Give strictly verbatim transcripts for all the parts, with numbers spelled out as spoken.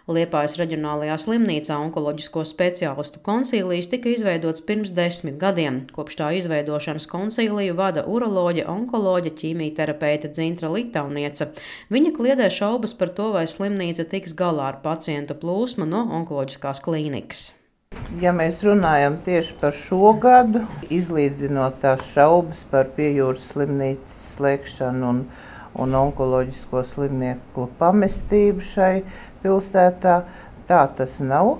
Liepājas reģionālajā slimnīcā onkoloģisko speciālistu konsīlijs tika izveidots pirms desmit gadiem. Kopš tā izveidošanas konsīliju vada uroloģe, onkoloģe, ķīmijterapeite Dzintra Litauniece. Viņa kliedē šaubas par to, vai slimnīca tiks galā ar pacientu plūsmu no onkoloģiskās klīnikas. Ja mēs runājam tieši par šo gadu, izlīdzinot tās šaubas par Piejūras slimnīcas slēgšanu un, un onkoloģisko slimnieku pamestību šai pilsētā, tā tas nav.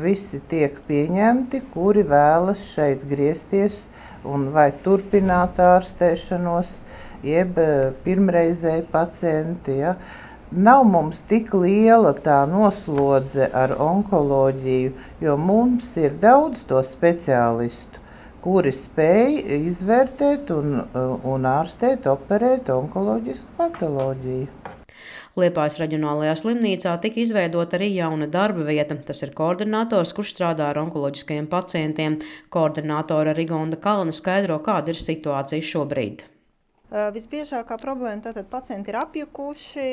Visi tiek pieņemti, kuri vēlas šeit griezties un vai turpināt ārstēšanos, jeb pirmreizēji pacienti. Ja. Nav mums tik liela tā noslodze ar onkoloģiju, jo mums ir daudz to speciālistu, kuri spēj izvērtēt un, un ārstēt, operēt onkoloģisku patoloģiju. Liepājas reģionālajā slimnīcā tika izveidota arī jauna darba vieta. Tas ir koordinators, kurš strādā ar onkoloģiskajiem pacientiem. Koordinātora Rigonda Kalna skaidro, kāda ir situācija šobrīd. Visbiežākā problēma tātad pacienti ir apjukuši,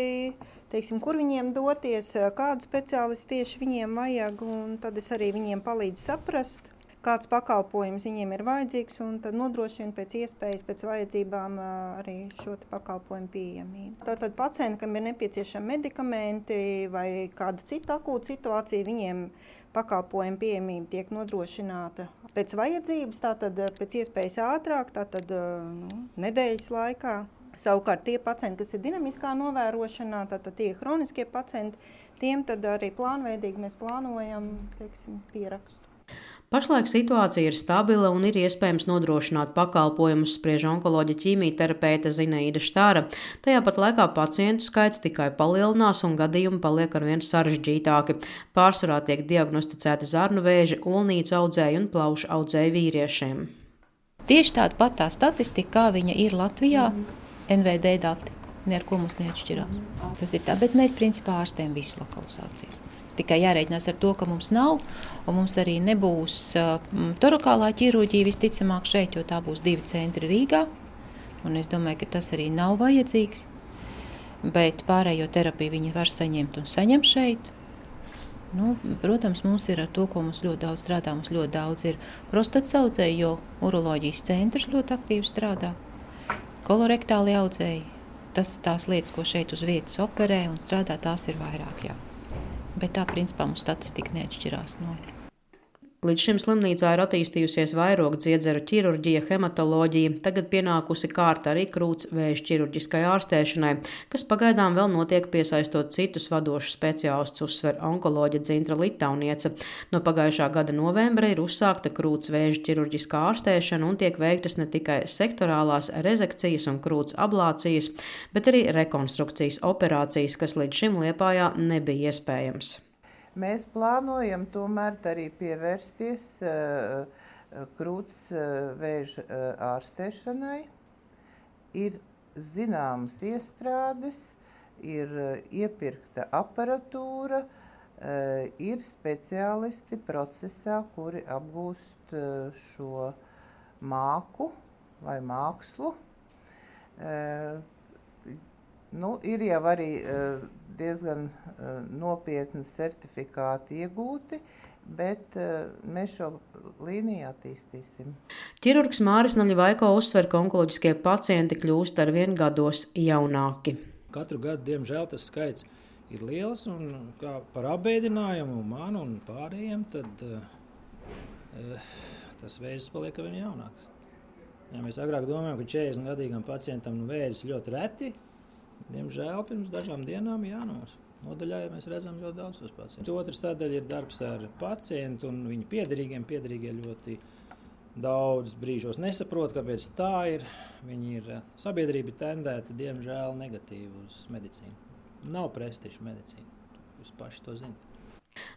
teiksim, kur viņiem doties, kādu speciālistu tieši viņiem vajag, un tad es arī viņiem palīdzu saprast, kāds pakalpojums viņiem ir vajadzīgs, un tad nodrošina pēc iespējas, pēc vajadzībām arī šo pakalpojumu pieejamību. Tātad pacienti, kam ir nepieciešami medikamenti vai kāda cita akūta situācija, viņiem pakalpojumu pieejamība tiek nodrošināta pēc vajadzības, tātad pēc iespējas ātrāk, tātad nu, nedēļas laikā. Savukārt tie pacienti, kas ir dinamiskā novērošanā, tātad tie hroniskie pacienti, tiem tad arī plānveidīgi mēs plānojam, teiksim, pierakstu. Pašlaik situācija ir stabila un ir iespējams nodrošināt pakalpojumus, spriež onkoloģe ķīmijterapeite Zinaida Štāra. Tajā pat laikā pacientu skaits tikai palielinās un gadījumi paliek arvien sarežģītāki. Pārsvarā tiek diagnosticēti zarnu vēži, olnīcu audzēju un plaušu audzēju vīriešiem. Tieši tāda pat tā statistika, kā viņa ir Latvijā, N V D dati, ne ar ko mums neatšķirās. Tas ir tā, bet mēs principā ārstējam visas lokalizācijas. Tikai jārēķinās ar to, ka mums nav, un mums arī nebūs uh, torokālā ķirurģija visticamāk šeit, jo tā būs divi centri Rīgā, un es domāju, ka tas arī nav vajadzīgs, bet pārējo terapiju viņi var saņemt un saņem šeit. Nu, protams, mums ir ar to, ko mums ļoti daudz strādā, mums ļoti daudz ir prostatas audzēji, jo uroloģijas centrs ļoti aktīvi strādā, kolorektāli audzēji, tas tās lietas, ko šeit uz vietas operē un strādā, tās ir vairāk, jā. Bet tā, principā, mums statistika neatšķirās no. Līdz šim slimnīcā ir attīstījusies vairogu dziedzeru ķirurģija, hematoloģija, tagad pienākusi kārta arī krūts vēža ķirurģiskai ārstēšanai, kas pagaidām vēl notiek piesaistot citus vadošus speciālistus, uzsver onkoloģe Dzintra Litauniece. No pagājušā gada novembra ir uzsākta krūts vēža ķirurģiskā ārstēšana un tiek veiktas ne tikai sektorālās rezekcijas un krūts ablācijas, bet arī rekonstrukcijas operācijas, kas līdz šim Liepājā nebija iespējams. Mēs plānojam tomēr arī pievērsties uh, krūts uh, vēža uh, ārstēšanai. Ir zināmas iestrādes, ir uh, iepirkta aparatūra, uh, ir speciālisti procesā, kuri apgūst uh, šo māku vai mākslu. Uh, Nu, ir jau arī uh, diezgan uh, nopietni certifikāti iegūti, bet uh, mēs šo līniju attīstīsim. Ķirurgs Māris Naļvaiko uzsver, ka onkoloģiskie pacienti kļūst arvien gados jaunāki. Katru gadu, diemžēl, tas skaits ir liels, un kā par apbēdinājumu man un pārējiem, tad uh, tas vēzis paliek arvien jaunāks. Ja mēs agrāk domājam, ka četrdesmit gadīgam pacientam vēzis ļoti reti, diemžēl pirms dažām dienām jānos. Nodaļā mēs redzam ļoti daudz tos pacientus. Otra sadaļa ir darbs ar pacientu un viņu piederīgiem. Piederīgie ļoti daudz brīžos nesaprot, kāpēc tā ir. Viņi ir sabiedrība tendēta, diemžēl, negatīvi uz medicīnu. Nav prestiža medicīna. Jūs paši to zināt.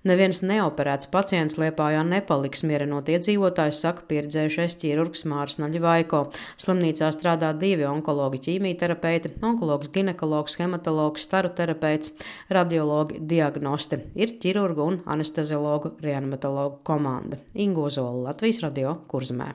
Neviens neoperēts pacients Liepājā nepaliks, mierinot iedzīvotājs, saka pieredzējušais ķirurgs Māris Naļvaiko. Slimnīcā strādā divi onkologi ķīmijterapeiti, onkologs ginekologs, hematologs, staru terapeits, radiologi, diagnosti. Ir ķirurgu un anesteziologu reanimatologu komanda. Inga Ozola, Latvijas radio, Kurzemē.